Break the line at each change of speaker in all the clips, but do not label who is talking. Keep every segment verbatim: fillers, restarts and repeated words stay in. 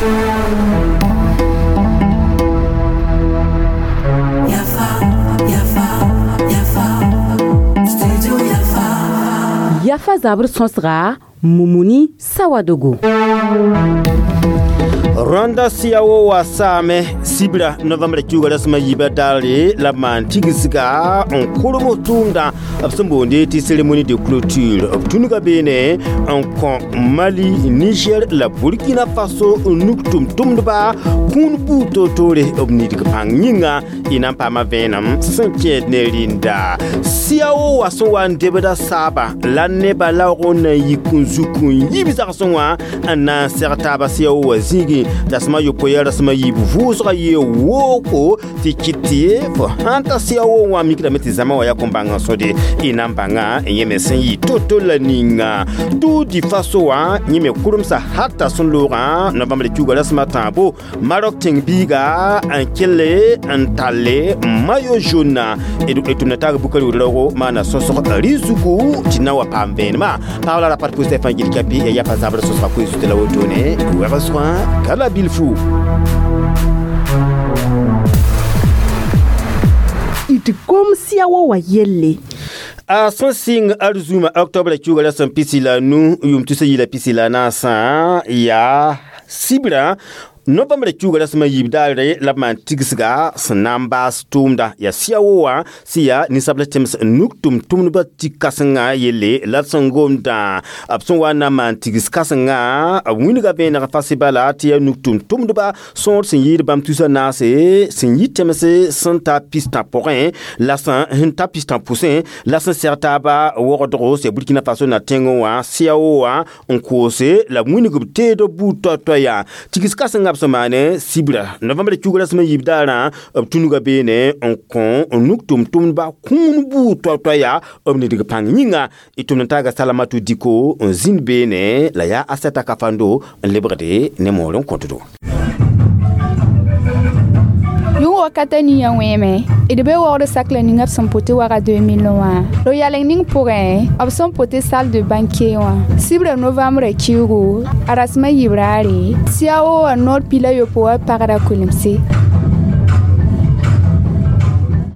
Yafa zabr sõsga Mumuni Sawadogo.
Rwanda siyawo wa saame sibra novembre kiuga rasma yiba dare la man tigisga n kurmo tʋʋmdã b sẽn boonde tɩ cérémonie de clôture b tũnuga beene n kõ Mali, Niger la Burkina Faso nuk tʋm-tʋmdba kũun buud toor-toore b nidg pãng yĩnga y na n paama vẽenem sẽn kẽed ne rĩnda siyawo wa sẽn wa n debda saaba la nebã laoog n na n yik n zuk n yib zagsẽ wã n na n seg taaba siyawo wa zĩigẽ rasma yopoe rasma yiib vʋʋsga yee wooko tɩ kɩt tɩ fo sãn ta siyawo wã mikdame tɩ zãma wã yaa kõn bãng n sõde y na n bãnga yẽ me sẽn yɩ to-to la ninga Tour du Faso wã yẽ me kuremsa hata sẽn loogã novembre kiuga rasma tãabo Maroc tẽng-biiga n kelle n talle maillot jaune d tʋmda taag bukar wʋd-raoogo maana sõsg rɩ-zugu tɩ na wa paam vẽenemã paabla ra pat pʋsã fãa gil kapi ya yapa zabr sõsga koe zutã la wotone wɛgsgã kala bilfu.
D gom siyawo wa yelle.
A sẽn sɩng arzũma octobre kiuga rasem pisi la nu yʋʋm tusa yila pisi la naasã yaa sibra novembre kiuga rasmã yiib daare la b maan tigsga sẽn na n baas tʋʋmda yaa siyawo wã sẽn yaa ninsabl tẽms nuk tʋm-tʋmdbã tɩ kãsenga yelle la d sẽn gomdã b sẽn wa n na n maan tigs kãsenga b wĩnga vẽeneg fasɩ bala tɩ yaa nuk tʋm-tʋmdba sõor sẽn yɩɩd bãmb tusa naase sẽn yɩ tẽmse sẽn ta pistã pʋgẽ la sẽn ta pistã pʋsẽ la sẽn seg taaba wogdgo sẽn Burkina Faso na tẽngẽ wã siyawo wã n koose la b wĩnг b teedb buud toay-toay yaa tigs kãsenga b sẽn maane sibra novembre kiuga rasmã yiib daarã b tũnuga beene n kõ n nuk tʋm-tʋmdba kũun buud toay-toay yaa b nidg pãng yĩnga y tʋmd n taaga Salamatu Diko n zĩnd beene la yaa Asɛta Kafando n lebgde ne moor n kõtdo.
Yʋng wakata ninga wẽeme d be waood sakla ninga b sẽn pote waga deux mille wã ro yaleng ning pʋgẽ b sẽn pote salle de banquet wã sibra novembre kiugu a rasmã yiib raare siyawo wã noor pila yopoe wã pagda kulemse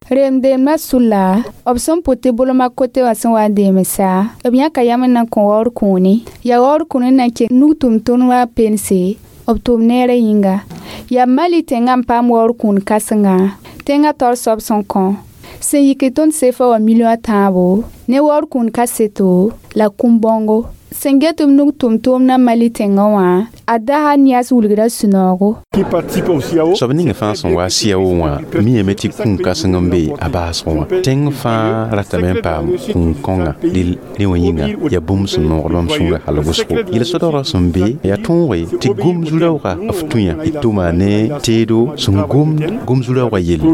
Remdeemã sʋla b sẽn pote bolmã kote wã sẽn wa n deemsa b yãka yam n na n kõ waood kũuni yaa waood kũuni n na n kẽ nug tʋm-tʋmdbã pense b tʋm neerã yĩnga yaa Mali tẽngã n paam waood kũun kãsenga tẽngã taoor soab sẽn kõ sẽn yik tõnd sefa wã milliõ a tãabo ne waood kũun kaseto la kũm-bãongo sẽn get b nug tʋm-tʋʋmdã Mali tẽngã wã a dasa nias wilgra sũ-noogo.
Soab ninga fãa sẽn wa siyawo wã miame tɩ kũun kãseng n be a baasg wã tẽng fãa ratame n paam kũun-kõnga rẽ wã yĩnga yaa bũmb sẽn noogd bãmb sũurã hal wʋsgo yel-sõdgrã sẽn be yaa tõoge tɩ gom zu-raoogã f tũ-yã d tʋma ne teedo sẽn gomd gom zu-raoogã yelle.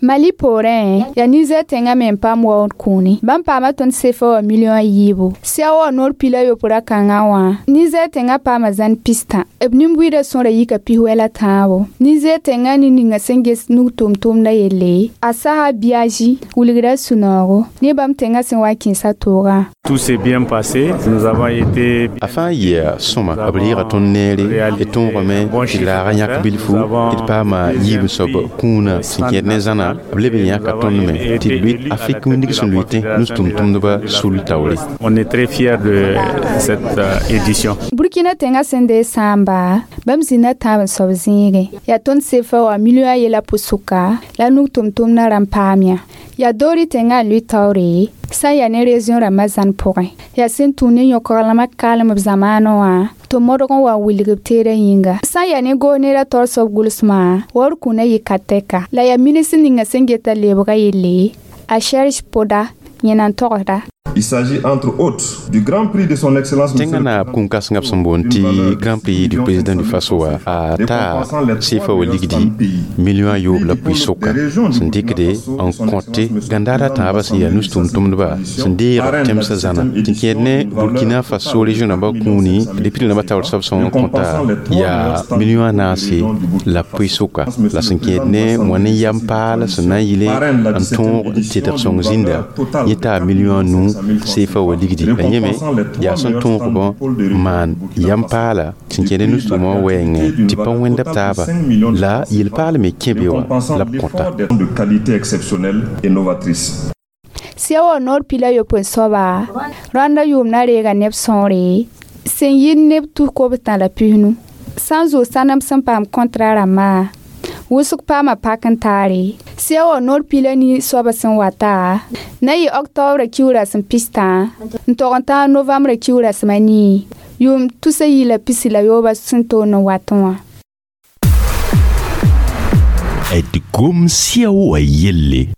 Mali poorẽ yaa Niger tẽngã me n paam waood kũuni bãmb paama tõnd sefa wã milliõ a yiibu siya wã noor pila yopoe ra-kãngã wã Niger tẽngã paama zãn pistã b nin-buiidã sõra yika pis-wɛl a tãabo Niger tẽngã ne ninga sẽn ges nug tʋm-tʋmdã yelle a Saha Biaji wilgra sũ-noogo ne bãmb tẽngã sẽn wa n kẽesa toogã.
Tout s'est bien passé. Nous avons été
A fãa yɩa sõma b reega tõnd neere d tõogame tɩ laaga yãk bilfu tɩ d paama yiib soab kũunã sẽn kẽed ne zãna b leb n yãka tõnd me tɩ d lʋɩ Afrik wĩndg sẽn lʋɩtẽ nus-tʋm-tʋmdbã sul taoore.
On est très fiers de cette euh, édition.
Burkina tẽngã sẽn dee sãamba bãmb zĩnda tãab n soab zĩigẽ yaa tõnd sefa wã milliõ a yela pʋsʋka la nug tʋm-tʋmdã rãmb paam yã yaa doori tẽngã n lʋɩ taoore sã n yaa ne région rãmbã zãn pʋgẽ yaa sẽn tũ ne yõkglmã kalem b zamaanẽ wã tɩ modg n wa n wilg b teedã yĩnga sã n yaa ne goog neerã taoor soab gʋlsmã waood kũunã yɩ ka-tɛka la yaa minis ninga sẽn geta lebga yelle a Serge Poda yẽna n togsda.
Il s'agit entre autres du Grand Prix de son Excellence
Tẽngã naab kũun-kãsengã b sẽn boond tɩ Grand Prix du président du Faso wã a taa sefa wa ligdi milliõ a yoob la pʋɩ-soka sẽn dɩkde n kõte gãndaar a tãabã sẽn yaa nus-tʋm-tʋmdba sẽn deeg b tẽmsã zãna tɩ kẽed ne Burkina Faso région rãmbã kũuni depuis rãmbã taoor soab sẽn kõta yaa milliõ a naase la pʋɩ-soka la sẽn kẽed ne wã ne yam paal sẽn na n yɩle n tõog n tedg sõng zĩnda yẽ taa milliõ a nu C F A wa ligdi la yẽme yaa sẽn tõog b maan yam paala sẽn kẽnd nus-tʋʋmã wɛɛngẽ tɩ pa wẽnda b taaba la yel-paal me kẽ be wã la b kõta.
De qualité exceptionnelle et novatrice.
CEAO noor pila yopoe soaba rãnda yʋʋm na reega neb sõore sẽn yɩ neb tus kobstã la pisnu sã n zoog sãnem sẽn paam kɔntra rãmbã wʋsg paama pak n taare. CEAO noor pila ni soaba sẽn wata na yɩ oktobra kiugra sẽn pistã n tog n tãag novembre kiugra sẽm a nii yʋʋm tusa yi la pisi la yooba sẽn toon n watẽ wã.
D gom CEAO wa yelle.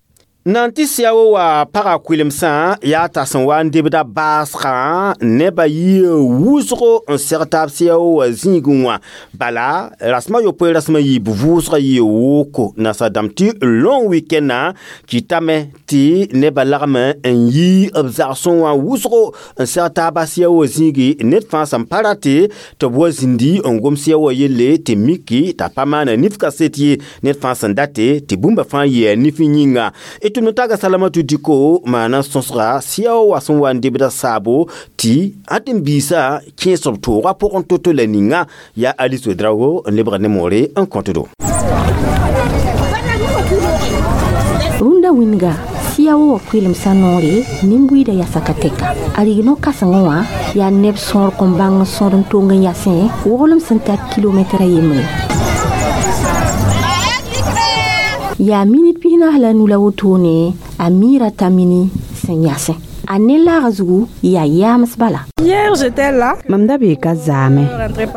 Nan tɩ CEAO wa paga kʋɩlemsã yaa t'a sẽn wa n debda baasgã nebã yɩ wʋsgo n seg taab CEAO wa zĩigẽ wã bala rasem a yopoe rasem a yiib vʋʋsgã yɩ woko nasa dãmb tɩ long weekend-nã kɩtame tɩ nebã lagm n yi b zagsẽ wã wʋsgo n seg taaba CEAO wa zĩigi ned fãa sẽn pa rate tɩ b wa zĩndi n gom CEAO wa yelle tɩ miki t'a pa maana nif kaset ye ned fãa sẽn date tɩ bũmba fãa yɩa nif yĩnga. D tʋm taga Salamatu Diko maana sõsga CEAO wa sẽn wa n debda saabo tɩ ãd n biisã kẽes b toogã pʋgẽ to-to la ninga yaa Alice Ouedraogo n lebga ne moore n kõt-do.
Rũndã wĩnga CEAO wa kʋɩlemsã noore nin-buiidã yasa ka tɛka a rig no-kãsengẽ wã yaa neb sõor kõn bãng n sõd n tong n yasẽ woglem sẽn tar kilomɛtra yembre yaa minit pisnaas la nu la wotone a miira t'a mini sẽn yasẽ a ne laaga zugu yaa yaams bala.
Hier, j'étais là.
Mam da bee ka zaame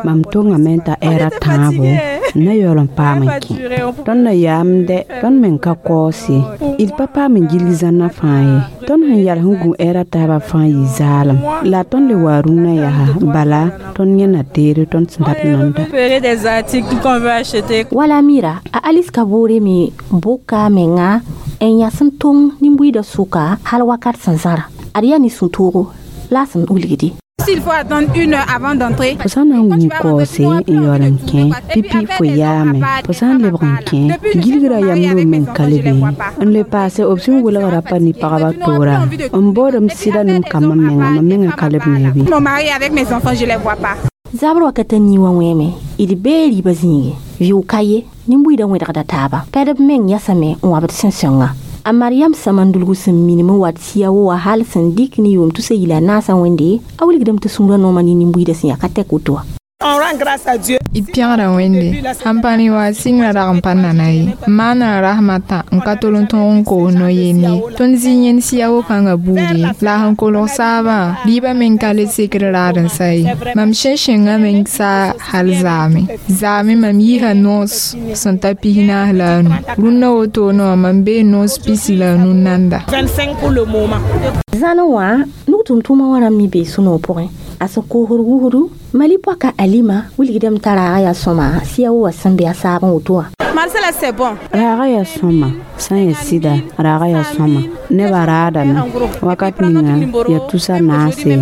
mam tongame n ta ɛɛra tãabo n na yaool n paam n kẽ tõnd na yaam dɛ tõnd meng ka kaoos ye d pa paam n gilg zãnna fãa ye tõnd sẽn yals n gũ ɛɛra taabã fãa yɩ zaalem la tõnd le waa rũnã yaa bala tõnd yẽna teere tõnd sẽn dat nanda.
Récupérer des articles qu'on veut acheter.
Wala mira a Alice ka boore me boka a menga n yas n tong nin-buiidã sʋka hal wakat sẽn zãra ad yaa ne sũ-toogo la a sẽn wilgdi.
S'il faut attendre une heure avant d'entrer.
Fo sã n na n gũ kaoose n yaool n kẽ pipi fo yaame fo sã n lebg n kẽ gilgra yamb meng ka le be n le paase b sẽn welgra pa ne pagba toora n baoodm sɩda nem kambã menga mam menga ka leb ne be.
Mon mari avec mes enfants, je les vois pas.
Zabr wakat a nii wã wẽeme d bee riibã zĩige vɩʋ ka ye nin-buiidã wẽdgda taaba pɛdb meng yasame n wabd sẽn-sõnga a Mariam Samandulgu sẽn minim n wat CEAO wa hal sẽn dɩk ne yʋʋm tusa yila a naasã wẽnde a wilgdame tɩ sũurã nooma ne nin-buiidã sẽn yaa ka tɛk woto wã.
On rend grâce à Dieu.
D pẽgda Wẽnde sãn pa ne wa sɩngrã rag n pa nana ye n maana rasmã tã n ka tol n tõog n koos no-yend ye tõnd zĩ yẽnd CEAO kãngã buudi la a sẽn kolg saabã rɩɩbã meng ka le sekd raad n sa ye mam sẽn sẽngã meng saa hal zaame zaame mam yiisa noos sẽn ta pis naas la a nu rũnnã wotone wã mam bee noos pisi la a nu nanda.
vingt-cinq pour le moment.
Zãnẽ wã nug tʋm-tʋʋmã wã rãmb me bee sũ-noog pʋgẽ a sẽn koosd wusdu Mali pɔka Alima wilgdame t'a raaga yaa sõma CEAO wa sẽn be a saab n woto wã.
Marcela, c'est bon.
Raaga yaa sõma sã n yaa sɩda raaga yaa sõma nebã raadame wakat ninga yaa tusa naase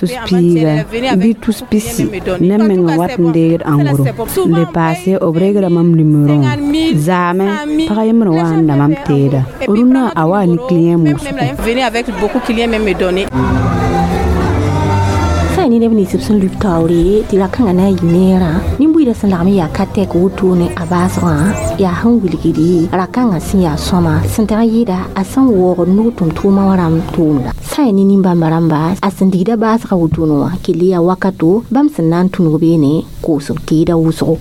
tus piiga bɩ tus pisi neb meng wat n deegd ãngro n le paase b regra mam numerõ zaame pag yembr wa n da mam teeda rũnnã a waa ne client wʋsgo.
Venez avec beaucoup de clients même me donner.
Sã ne neb nins b sẽn lub taoore tɩ ra-kãngã na n yɩ neerã nin-buiidã sẽn lagm n yaa ka tɛk wotone a baasgã yaa sẽn wilgdi ra-kãngã sẽn yaa sõma sẽn teg n yɩɩda a sẽn waoogd nug tʋm-tʋʋmã wã rãmb tʋʋmda sã n ne nin-bãmba rãmba a sẽn digda baasgã wotone wã kell yaa wakato bãmb sẽn na n tũnug beene koosg teeda wʋsgo.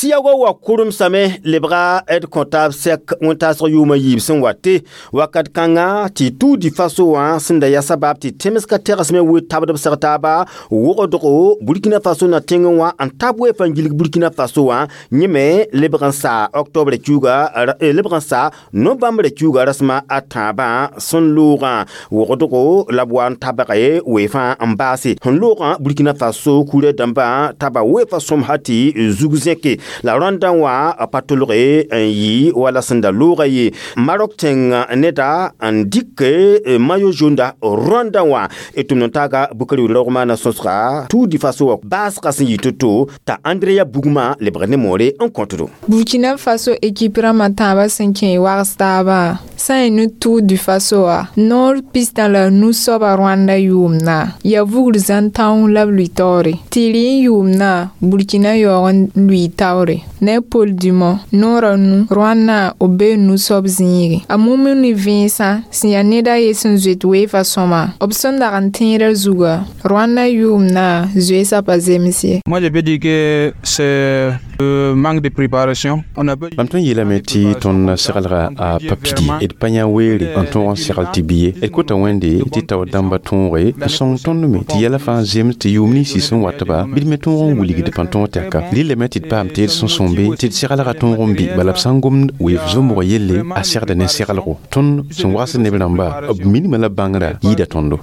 CEAO wa kʋremsame lebga d kõtaab sɛk wẽn-taasg yʋʋmã yiib sẽn wate wakat kãngã tɩ Tour du Faso wã sẽn da yaa sabab tɩ tẽmsga tegsme we tabd b seg taaba wogdgo Burkina Faso na tẽngẽ wã n tab weefã n gilg Burkina Faso wã yẽ me lebg n saa octobre kiuga lebg n saa novembre kiuga rasmã a tãabã sẽn loogã wogdgo la b wa n tabge weefã n baase sẽn loogã Burkina Faso kurã dãmbã taba weefã sõm ha tɩ zug zẽke. La Rwanda wã pa tolge n yɩ wala sẽn da looga ye. Maroc tẽng neda n dɩk maillot jaune da Rwanda wã d tʋmd n taaga Bukari raoog maana sõsga Tour du Faso wã baasgã sẽn yɩ to-to t'a Andrea Bugma lebg ne moore n kõtdo.
Burkina Faso équipe rãmbã tãabã sẽn kẽ wags taabã sã n ne Tour du Faso wã noor pistã la nu soaba Rwanda yʋʋmdã yaa vugr zãn tãong la b lʋɩ taoore tɩ rɩ n yʋʋmdã Burkina yaoog n lʋɩ taoore ne Paul Dumont noorã nu Rwanda b bee nu-soab zĩige a Mumuni Vẽensã sẽn yaa ned a ye sẽn zoet weefa sõma b sẽn dag n tẽedã zuga Rwanda yʋʋmdã zoeesã pa zems ye.
Moi, je peux dire que c'est le manque de préparation. On a
Mam tõnd yeelame tɩ tõnd seglga a pa pidi d pa yã weere n tõog n segl tɩ bi ye d kota Wẽnde tɩ tao dãmba tõoge n sõng tõnd me tɩ yɛla fãa zems tɩ yʋʋm ninsi sẽn watba bɩ d me tõog n wilgd pãn tõog tɛka rɩlame tɩ d paam tɩ d sẽn sõmbe tɩ d seglga tõog n bɩ bala b sã n gomd weef zombg yelle a segda ne seglgo tõnd sẽn wagsd neb rãmba b minimã la bãngrã yɩɩda tõndo.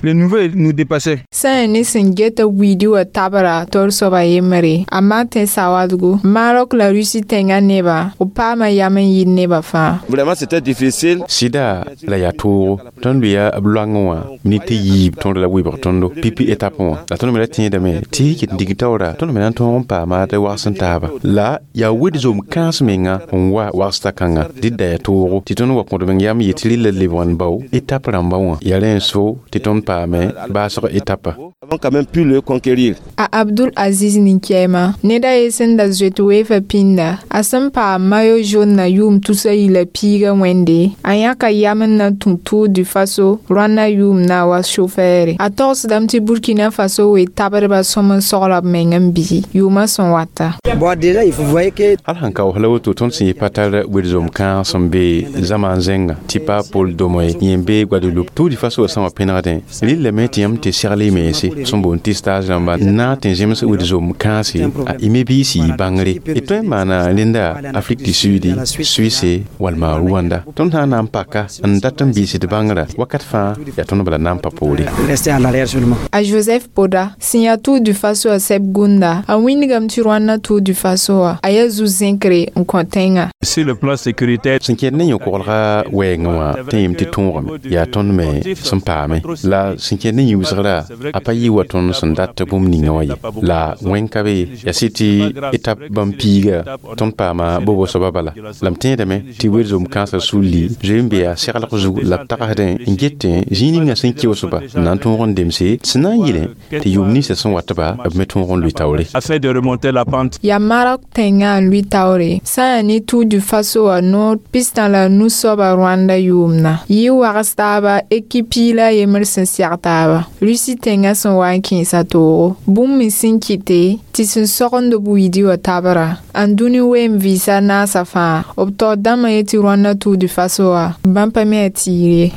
Le niveau nous dépassait.
Sã n ne sẽn geta wiidi wã tabra tol soaba yembre a Martin Sawadgo Maroc la Russie tẽngã nebã b paama yam n yɩɩd nebã fãa.
Vraiment, c'était difficile.
Sɩda la yaa toogo tõnd lʋɩa b loangẽ wã ne tɩ yiib tõnd la wɩbg tõndo pipi étape wã la tõnd me ra tẽedame tɩ ket n dig taoora tõnd me na n tõog n paama d wags n taaba la yaa wed zom kãens menga n wa wagsda kãnga dɩd da yaa toogo tɩ tõnd wa kõd meng yam yetɩ rɩla lebg n bao étape rãmba wã yaa rẽ n so tɩ tõnd paame baasg étape.
Avons quand même pu le conquérir.
A Abdul Aziz Ninkema ned a ye sẽn da zoet weefa pĩnda a sẽn paam maillot jaune na yʋʋm tusa yila piiga wẽnde a yãka yam n na tũ Tour du Faso Rwanda yʋʋmdã wa chauffeure a togsdame tɩ Burkina Faso wee tabdbã sõm n sogla b meng n bisi yʋʋmã sẽn wata.
Bon, déjà, il faut voir que
Hal sãn ka la woto tõnd sẽn yɩ pa tar wed-zom kãag sẽn be zãma n zẽnga tɩ pa Paul Domo ye yẽ be Guadeloupe Tour du Faso wã sã wã pẽnegdẽ rɩllame tɩ yãmb tɩ segl y mense sẽn boond tɩ stage rãmba n na n tɩ zems wed-zom kãase a y me biis yɩ bãngre d tõe n maana rẽnda Afrique du Sud, Suisse walma Rwanda tõnd sã n na n paka n dat n biis d bãngrã wakat fãa yaa tõnd bala na n pa poore.
Rester en arrière seulement.
A Joseph Poda sẽn yaa Tour du Faso a sɛb gũnda a wĩndgame tɩ Rwanda Tour du Faso wã a yaa zu-zẽkre n kõ tẽngã.
Sur le plan sécuritaire,
Sẽn kẽed ne yõ-koglga wɛɛngẽ wã tɩ yem tɩ tõogame yaa tõnd me sẽn paame la sẽn kẽed ne yĩusgrã a pa yɩ wa tõnd sẽn dat bũmb ninga wã ye la wẽn ka be yaa sɩ tɩ étape bãmb piiga tõnd paama bobo soaba bala la m tẽedame tɩ wed-zom kãensã sulli zoe n be yaa seglg zug la b tagsdẽ n getẽ zĩig ninga sẽn keoosba n na n tõog n demse sẽn na n yɩlẽ tɩ yʋʋm ninsã sẽn watba b me tõog n lʋɩ taoore.
Afin de remonter la pente.
Yaa Maroc tẽngã n lʋɩ taoore sã n yaa ne Tour du Faso wã noor pistã la nu-soaba Rwanda yʋʋmdã yɩ wags taaba équipe piig la a yembr sẽn sɛg taaba Russie tẽngã sẽn wa n kẽesa toogo bũmb me sẽn kɩte tɩ sẽn sogend b wiidi wã tabra n dũni weem vɩɩsa naasã fãa b taoor dãmbã yetɩ Rwanda Tour du Faso wã bãmb pa me a tiir ye.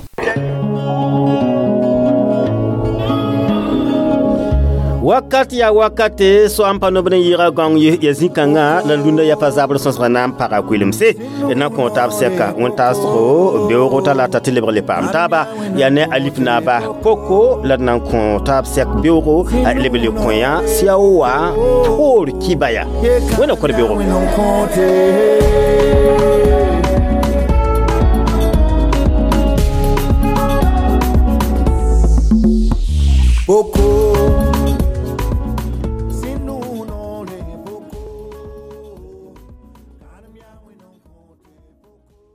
Wakat ya wakate so am pa nobd n yɩɩga gãong ye ya zĩ-kãngã la lunda yafa zabr sõsgã na n paga koelemse na kõ taab sɛka wẽn-taasgo beoogo talata tɩ lebg le paam taaba yaa ne alif naaba koko la d na n kõ taab sɛk beoogo a leb le kõ yã siao wa poor kibaya wẽna kõd beoogo.
Poko.